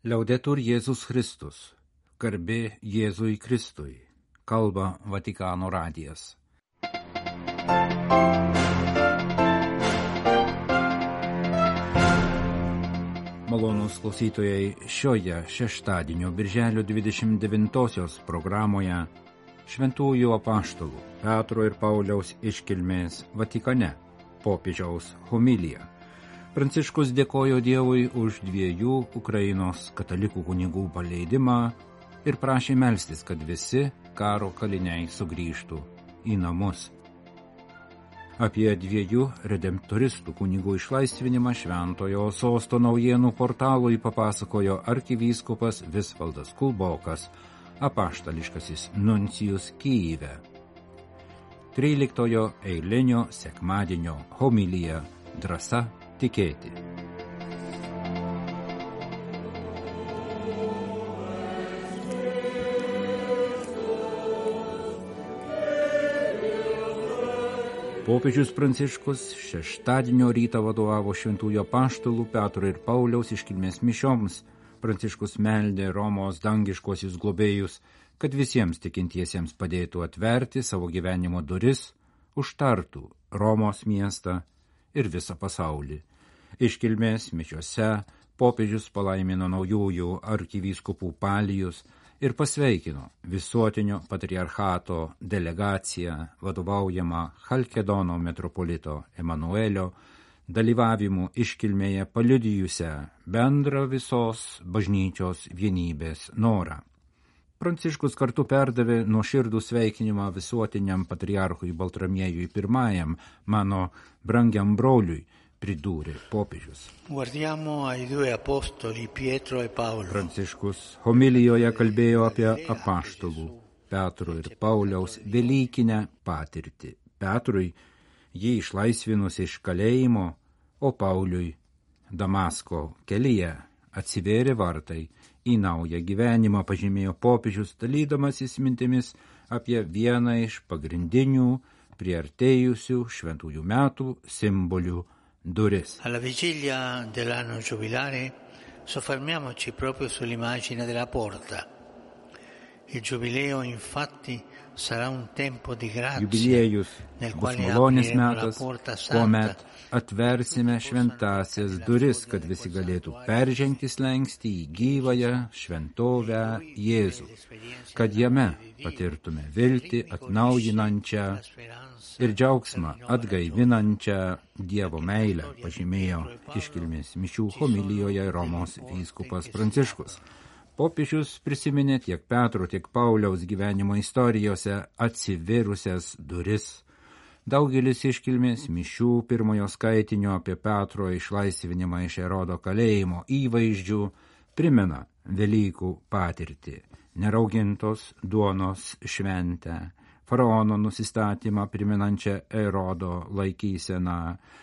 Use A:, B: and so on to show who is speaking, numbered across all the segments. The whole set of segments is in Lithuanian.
A: Liaudetur Jėzus Kristus, garbė Jėzui Kristui, kalba Vatikano radijas. Malonūs klausytojai, šioje šeštadienio birželio 29-osios programoje šventųjų apaštalų Petro ir Pauliaus iškilmės Vatikane popiežiaus homilija. Pranciškus dėkojo Dievui už 2 Ukrainos katalikų kunigų paleidimą ir prašė melstis, kad visi karo kaliniai sugrįžtų į namus. Apie 2 redemptoristų kunigų išlaisvinimą Šventojo Sosto naujienų portalui papasakojo arkivyskupas Visvaldas Kulbokas, apaštališkasis nuncijus Kyjive. 13 eilinio sekmadienio homilija Drąsa tikėti. Popiežius Pranciškus šeštadienio rytą vadovavo šventųjų apaštalų Petro ir Pauliaus iškilmės mišioms. Pranciškus meldė Romos dangiškuosius globėjus, kad visiems tikintiesiems padėtų atverti savo gyvenimo duris, užtartų Romos miestą ir visą pasaulį. Iškilmės mišiose popiežius palaimino naujųjų arkivyskupų palijus ir pasveikino visuotinio patriarchato delegaciją vadovaujamą Chalkedono metropolito Emanuelio dalyvavimu iškilmėje paliudijusią bendrą visos bažnyčios vienybės norą. Pranciškus kartu perdavė nuoširdų sveikinimą visuotiniam patriarchui Baltramiejui I, mano brangiam broliui, pridūrė popiežius.
B: Guardiamo ai 2 apostoli Pietro e Paolo.
A: Pranciškus homilijoje kalbėjo apie apaštalų Petro ir Pauliaus velykinę patirtį. Petrui jį išlaisvinus iš kalėjimo, o Pauliui Damasko kelyje atsivėrė vartai į naują gyvenimą, pažymėjo popiežius, dalydamasis mintimis apie vieną iš pagrindinių priartėjusių šventųjų metų simbolių duris.
B: Alla vigilia dell'anno giubilare soffermiamoci proprio sull'immagine della porta. Il giubileo infatti sarà un tempo di grazia.
A: Jubiliejus bus malonės metas, kuomet atversime šventąsias duris, kad visi galėtų peržengti slenkstį į gyvąją šventovę Jėzų, kad jame patirtume viltį atnaujinančią ir džiaugsmą atgaivinančią Dievo meilę, pažymėjo iškilmės mišių homilijoje Romos vyskupas Pranciškus. Popiežius prisiminė tiek Petro, tiek Pauliaus gyvenimo istorijose atsivėrusias duris. Daugelis iškilmės mišių pirmojo skaitinio apie Petro išlaisvinimą iš Erodo kalėjimo įvaizdžių primena Velykų patirtį, neraugintos duonos šventę, faraono nusistatymą priminančią Erodo laikyseną,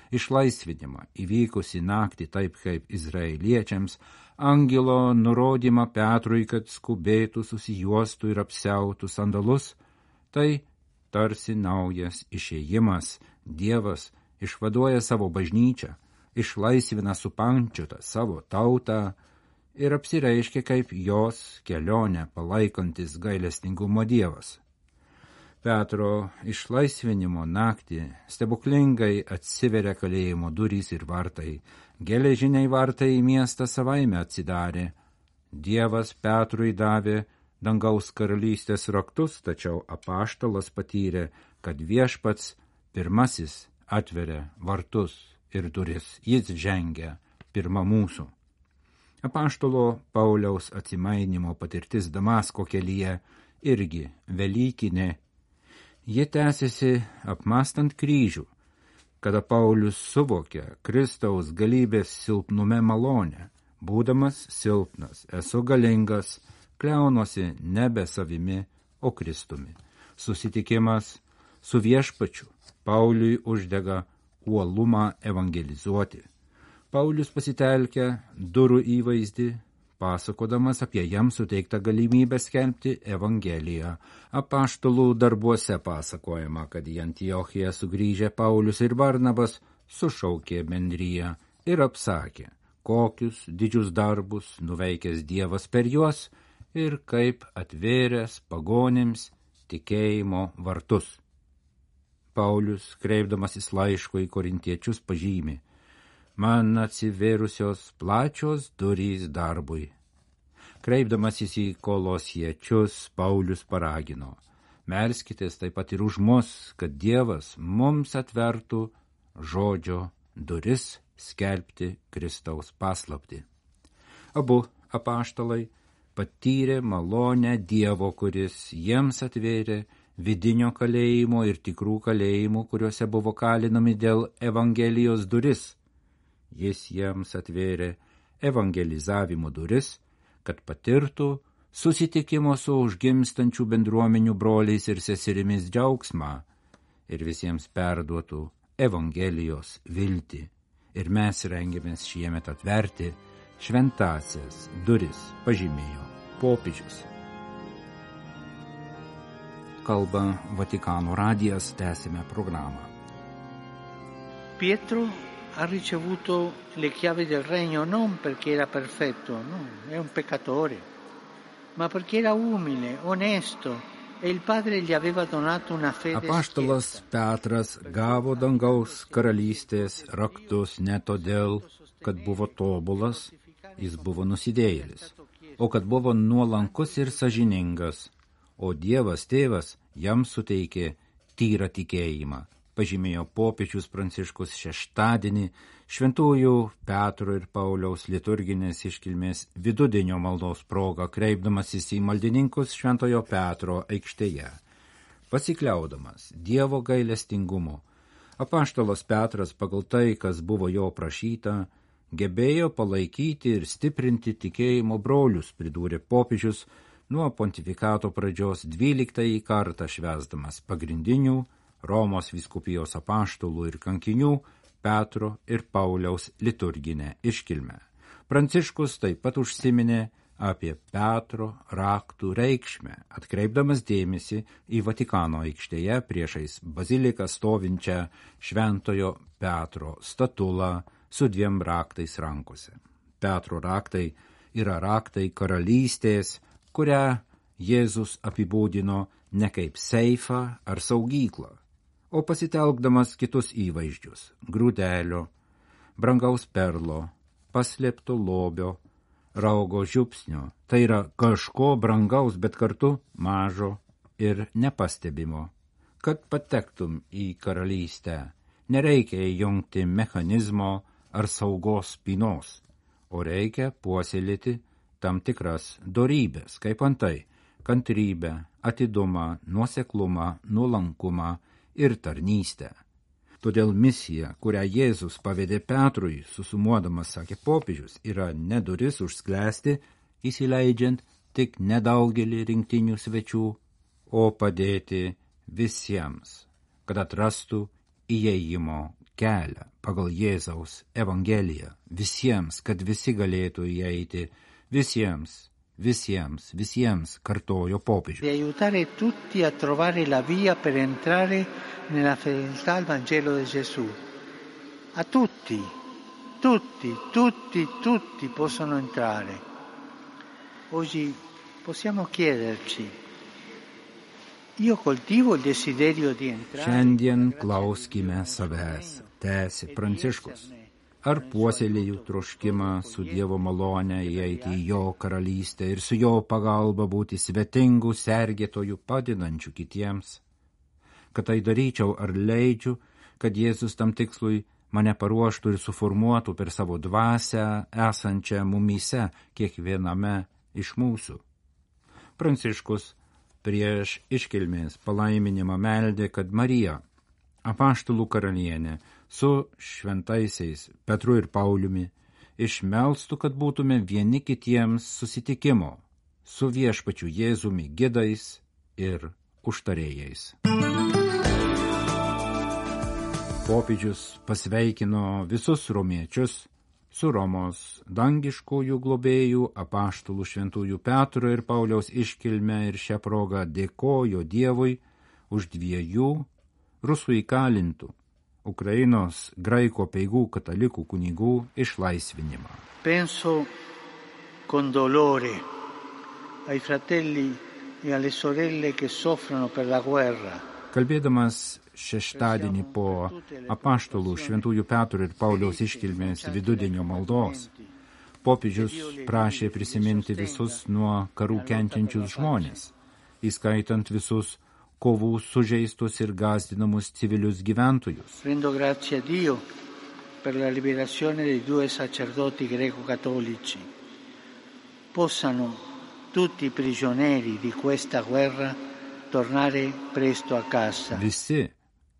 A: išlaisvinimą įvykusi naktį taip kaip izraeliečiams, angelo nurodymą Petrui, kad skubėtų, susijuostų ir apsiautų sandalus, tai tarsi naujas išėjimas. Dievas išvaduoja savo bažnyčią, išlaisvina supančiotą savo tautą ir apsireiškia kaip jos kelionę palaikantis gailestingumo Dievas. Petro išlaisvinimo naktį stebuklingai atsiveria kalėjimo durys ir vartai. Geležiniai vartai į miestą savaime atsidarė. Dievas Petrui davė dangaus karalystės raktus, tačiau apaštalas patyrė, kad viešpats pirmasis atveria vartus ir duris. Jis žengia pirma mūsų. Apaštalo Pauliaus atsimainimo patirtis Damasko kelyje irgi velykinė. Ji tęsiasi apmastant kryžių, kada Paulius suvokia Kristaus galybės silpnume malonę. Būdamas silpnas, esu galingas, kliaunuosi nebe savimi, o Kristumi. Susitikimas su viešpačiu Pauliui uždega uolumą evangelizuoti. Paulius pasitelkia durų įvaizdį, pasakodamas apie jam suteiktą galimybę skelbti Evangeliją. Apaštalų darbuose pasakojama, kad į Antiochiją sugrįžę Paulius ir Barnabas sušaukė bendriją ir apsakė, kokius didžius darbus nuveikęs Dievas per juos ir kaip atvėręs pagonims tikėjimo vartus. Paulius, kreipdamasis laiško į korintiečius, pažymi: man atsivėrusios plačios durys darbui. Kreipdamasis į kolosiečius, Paulius paragino: melskitės taip pat ir už mus, kad Dievas mums atvertų žodžio duris skelbti Kristaus paslaptį. Abu apaštalai patyrė malonę Dievo, kuris jiems atvėrė vidinio kalėjimo ir tikrų kalėjimų, kuriuose buvo kalinami dėl Evangelijos duris. Jis jiems atvėrė evangelizavimo duris, kad patirtų susitikimo su užgimstančių bendruomenių broliais ir seserimis džiaugsmą ir visiems perduotų Evangelijos viltį. Ir mes rengiamės šiemet atverti šventąsias duris, pažymėjo popiežius. Kalba Vatikano radijas, tęsime programą.
B: Pietro ha ricevuto le chiavi del regno non perché era perfetto, no, è un peccatore, ma perché era umile, onesto e il Padre gli aveva donato una fede schietta.
A: Apaštalas Petras gavo dangaus karalystės raktus ne todėl, kad buvo tobulas, jis buvo nusidėjėlis, o kad buvo nuolankus ir sąžiningas, o Dievas Tėvas jam suteikė tyrą tikėjimą, pažymėjo popiežius Pranciškus šeštadienį šventųjų Petro ir Pauliaus liturginės iškilmės vidudienio maldos proga, kreipdamasis į maldininkus Šventojo Petro aikštėje. Pasikliaudamas Dievo gailestingumu, apaštalas Petras pagal tai, kas buvo jo prašyta, gebėjo palaikyti ir stiprinti tikėjimo brolius, pridūrė popiežius, nuo pontifikato pradžios 12 kartą švęsdamas pagrindinių Romos vyskupijos apaštalų ir kankinių Petro ir Pauliaus liturginę iškilmę. Pranciškus taip pat užsiminė apie Petro raktų reikšmę, atkreipdamas dėmesį į Vatikano aikštėje priešais baziliką stovinčią Šventojo Petro statulą su 2 raktais rankose. Petro raktai yra raktai karalystės, kurią Jėzus apibūdino ne kaip seifą ar saugyklą, o pasitelkdamas kitus įvaizdžius – grūdelio, brangaus perlo, paslėpto lobio, raugo žiupsnio. Tai yra kažko brangaus, bet kartu mažo ir nepastebimo. Kad patektum į karalystę, nereikia įjungti mechanizmo ar saugos spynos, o reikia puoselėti tam tikras dorybės, kaip antai kantrybę, atidumą, nuoseklumą, nuolankumą ir tarnystę. Todėl misija, kurią Jėzus pavedė Petrui, susumuodamas, sakė popiežius, yra ne duris užsklęsti, įsileidžiant tik nedaugelį rinktinių svečių, o padėti visiems, kad atrastų įėjimo kelią pagal Jėzaus Evangeliją, visiems, kad visi galėtų įeiti, visiems, kartojo popiežius.
B: Di aiutare tutti a trovare la via per entrare nella fedeltà al Vangelo di Gesù. A tutti possono entrare. Oggi possiamo chiederci: io coltivo il desiderio di entrare.
A: Šiandien klauskime savęs, tęsė Pranciškus. Ar puoselėju troškimą su Dievo malone įeiti į jo karalystę ir su jo pagalba būti svetingų sergėtojų padedančių kitiems? Kad tai daryčiau, ar leidžiu, kad Jėzus tam tikslui mane paruoštų ir suformuotų per savo dvasią esančią mumyse kiekviename iš mūsų? Pranciškus prieš iškilmės palaiminimą meldė, kad Marija, apaštalų karalienė, su šventaisiais Petru ir Pauliumi išmelstų, kad būtume vieni kitiems susitikimo su viešpačiu Jėzumi gidais ir užtarėjais. Popiežius pasveikino visus romiečius su Romos dangiškųjų globėjų apaštalų šventųjų Petro ir Pauliaus iškilme ir šią progą dėkojo Dievui už 2 rusų įkalintų Ukrainos graikų apeigų katalikų kunigų išlaisvinimą.
B: Penso con dolore ai fratelli e alle sorelle che soffrono per la guerra.
A: Kalbėdamas šeštadienį po apaštalų Šventųjų Petro ir Pauliaus iškilmės vidudienio maldos, popiežius prašė prisiminti visus nuo karų kenčiančius žmonės, įskaitant visus kovų sužeistus ir gąsdinamus civilius gyventojus.
B: Rendo grazie a Dio per la liberazione dei 2 sacerdoti greco-cattolici. Possano tutti i prigionieri di questa guerra tornare presto a casa.
A: Visi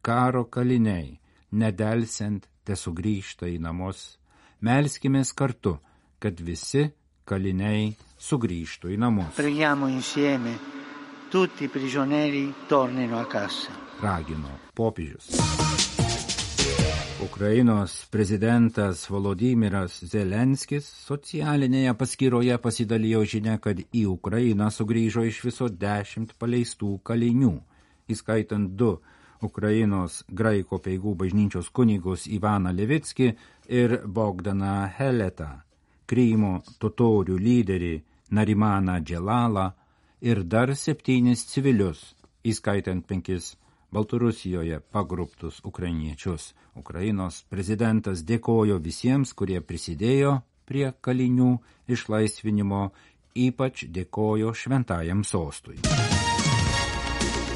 A: karo kaliniai, nedelsiant, tesugrįžta į namus. Melskimės kartu, kad visi kaliniai sugrįžtų į namus.
B: Preghiamo insieme, tutti i prigionieri tornino a casa.
A: Ragino popiežius. Ukrainos prezidentas Volodymyras Zelenskis socialinėje paskyroje pasidalijo žinia, kad į Ukrainą sugrįžo iš viso 10 paleistų kalinių, įskaitant 2 Ukrainos graikų apeigų bažnyčios kunigus Ivaną Levickį ir Bogdaną Heletą, Krymo totorių lyderį Narimaną Dželalą ir dar 7 civilius, įskaitant 5 Baltarusijoje pagrobtus ukrainiečius. Ukrainos prezidentas dėkojo visiems, kurie prisidėjo prie kalinių išlaisvinimo, ypač dėkojo šventajam sostui.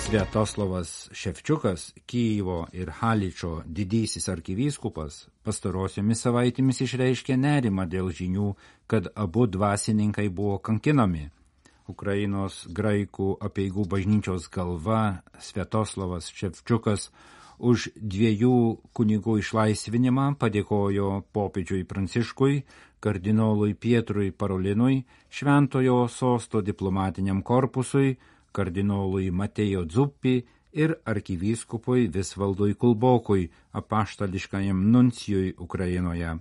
A: Sviatoslavas Ševčiukas, Kijevo ir Haličo didysis arkivyskupas, pastarosiomis savaitėmis išreiškė nerimą dėl žinių, kad abu dvasininkai buvo kankinami. Ukrainos graikų apeigų bažnyčios galva Sviatoslavas Ševčiukas už 2 kunigų išlaisvinimą padėkojo popiežiui Pranciškui, kardinolui Pietrui Parolinui, Šventojo sosto diplomatiniam korpusui, kardinolui Matėjo Dzuppi ir arkivyskupui Visvaldui Kulbokui, apaštališkajam nuncijui Ukrainoje.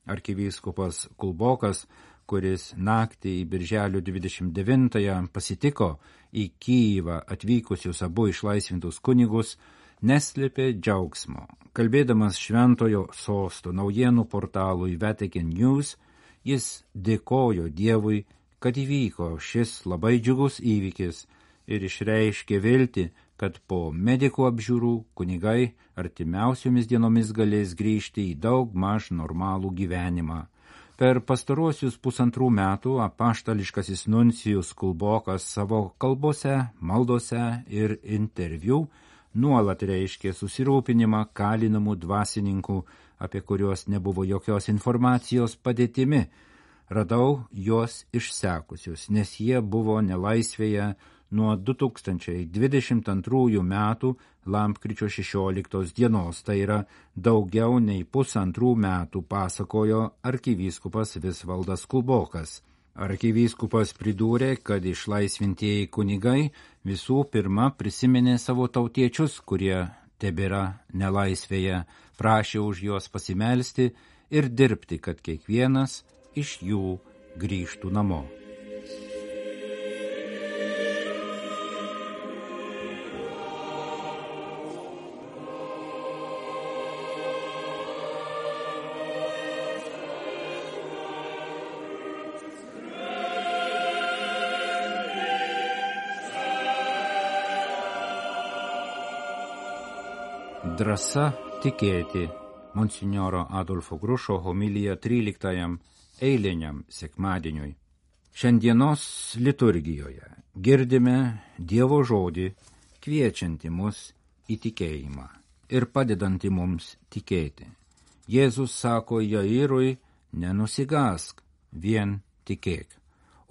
A: Arkivyskupas Kulbokas, kuris naktį į birželio 29-ąją pasitiko į Kijevą atvykusius abu išlaisvintus kunigus, neslėpė džiaugsmo. Kalbėdamas Šventojo sosto naujienų portalui Vatican News, jis dėkojo Dievui, kad įvyko šis labai džiugus įvykis ir išreiškė viltį, kad po medikų apžiūrų kunigai artimiausiomis dienomis galės grįžti į daug maž normalų gyvenimą. Per pastaruosius 1,5 metų apaštališkasis nuncijus Kulbokas savo kalbose, maldose ir interviu nuolat reiškė susirūpinimą kalinamų dvasininkų, apie kuriuos nebuvo jokios informacijos padėtimi. Radau juos išsekusius, nes jie buvo nelaisvėje nuo 2022 metų lapkričio 16 dienos, tai yra daugiau nei 1,5 metų, pasakojo arkivyskupas Visvaldas Kulbokas. Arkivyskupas pridūrė, kad išlaisvintieji kunigai visų pirma prisiminė savo tautiečius, kurie tebėra nelaisvėje, prašė už juos pasimelsti ir dirbti, kad kiekvienas iš jų grįžtų namo. Drąsa tikėti. Monsinjoro Adolfo Grušo homilija 13 eiliniam sekmadieniui. Šiandienos liturgijoje girdime Dievo žodį, kviečianti mus į tikėjimą ir padedanti mums tikėti. Jėzus sako Jairui, nenusigąsk, vien tikėk.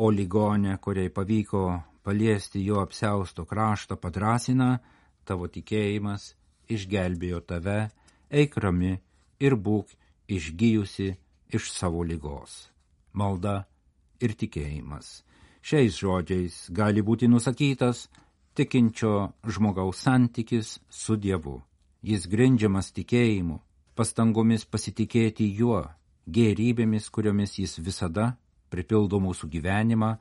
A: O ligonė, kuriai pavyko paliesti jo apsiausto kraštą, padrąsina, tavo tikėjimas išgelbėjo tave, eik rami ir būk išgijusi iš savo ligos. Malda ir tikėjimas. Šiais žodžiais gali būti nusakytas tikinčio žmogaus santykis su Dievu. Jis grindžiamas tikėjimu, pastangomis pasitikėti juo, gėrybėmis, kuriomis jis visada pripildo mūsų gyvenimą,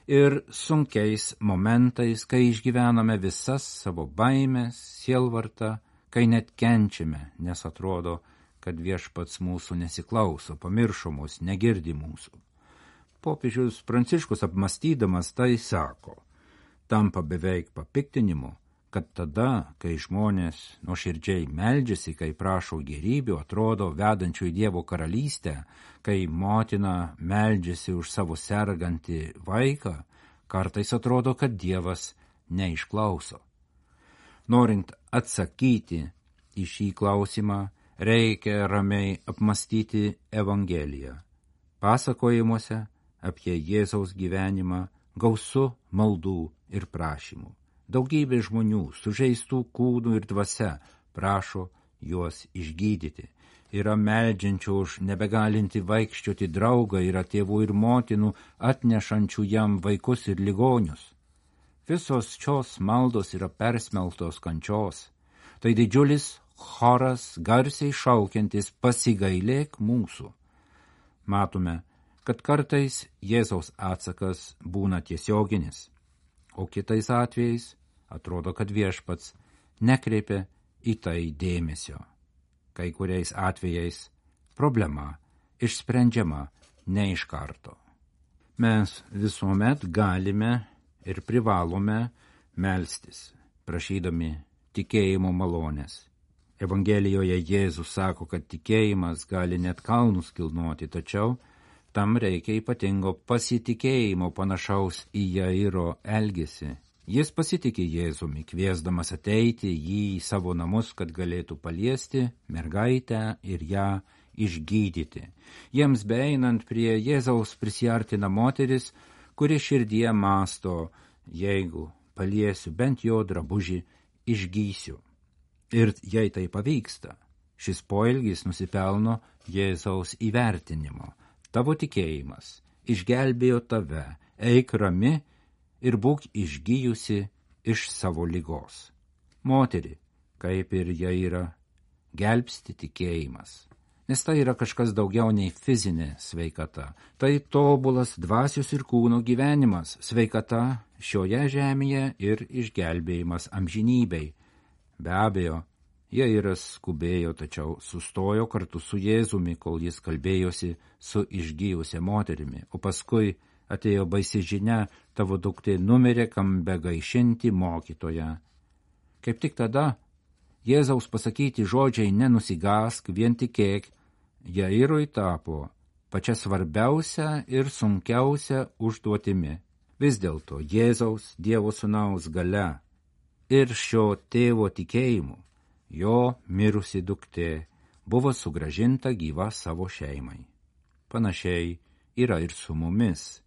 A: ir sunkiais momentais, kai išgyvename visas savo baimės, sielvartą, kai net kenčiame, nes atrodo, kad viešpats mūsų nesiklauso, pamiršo mus, negirdi mūsų. Popiežius Pranciškus apmastydamas tai sako, tampa beveik papiktinimu, kad tada, kai žmonės nuoširdžiai meldžiasi, kai prašo gėrybių, atrodo vedančių į Dievo karalystę, kai motina meldžiasi už savo sergantį vaiką, kartais atrodo, kad Dievas neišklauso. Norint atsakyti į šį klausimą, reikia ramiai apmastyti Evangeliją. Pasakojimuose apie Jėzaus gyvenimą gausu maldų ir prašymų. Daugybė žmonių sužeistų kūnų ir dvasia prašo juos išgydyti. Yra meldžiančių už nebegalinti vaikščioti draugą, yra tėvų ir motinų atnešančių jam vaikus ir ligonius. Visos šios maldos yra persmelktos kančios. Tai didžiulis choras garsiai šaukiantis pasigailėk mūsų. Matome, kad kartais Jėzaus atsakas būna tiesioginis, o kitais atvejais atrodo, kad viešpats nekreipia į tai dėmesio. Kai kuriais atvejais problema išsprendžiama ne iš karto. Mes visuomet galime ir privalome melstis, prašydami tikėjimo malonės. Evangelijoje Jėzus sako, kad tikėjimas gali net kalnus kilnoti, tačiau tam reikia ypatingo pasitikėjimo panašaus į Jairo elgesį. Jis pasitikė Jėzumi, kviesdamas ateiti jį į savo namus, kad galėtų paliesti mergaitę ir ją išgydyti. Jiems beeinant prie Jėzaus prisiartina moteris, kuri širdyje mąsto, jeigu paliesiu bent jo drabužį, išgysiu. Ir jei tai pavyksta, šis poelgis nusipelno Jėzaus įvertinimo. Tavo tikėjimas išgelbėjo tave, eik rami ir būk išgyjusi iš savo ligos. Moteri, kaip ir Jairą, gelbsti tikėjimas, nes tai yra kažkas daugiau nei fizinė sveikata. Tai tobulas dvasios ir kūno gyvenimas, sveikata šioje žemėje ir išgelbėjimas amžinybei. Be abejo, Jairas skubėjo, tačiau sustojo kartu su Jėzumi, kol jis kalbėjosi su išgyjusia moterimi, o paskui atėjo baisi žinia, tavo duktė numirė, kam begaišinti mokytoją. Kaip tik tada Jėzaus pasakyti žodžiai nenusigask, vien tikėk, Jairui tapo pačia svarbiausia ir sunkiausia užduotimi. Vis dėlto Jėzaus Dievo Sūnaus galia ir šio tėvo tikėjimu jo mirusi duktė buvo sugrąžinta gyva savo šeimai. Panašiai yra ir su mumis.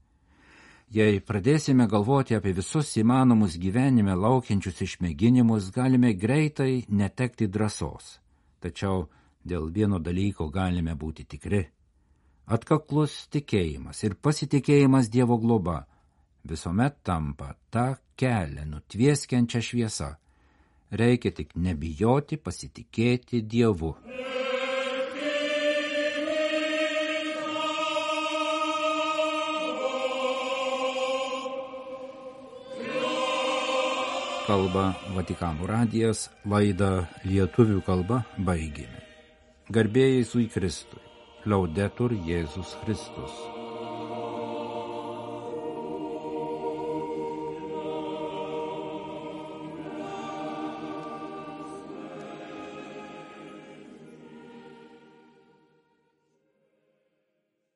A: Jei pradėsime galvoti apie visus įmanomus gyvenime laukiančius išmėginimus, galime greitai netekti drąsos. Tačiau dėl vieno dalyko galime būti tikri. Atkaklus tikėjimas ir pasitikėjimas Dievo globa visuomet tampa tą kelią nutvieskiančią šviesą. Reikia tik nebijoti pasitikėti Dievu. Kalba Vatikano radijas, laidą lietuvių kalba baigėme. Garbė Jėzui Kristui, Laudetur Jėzus Kristus.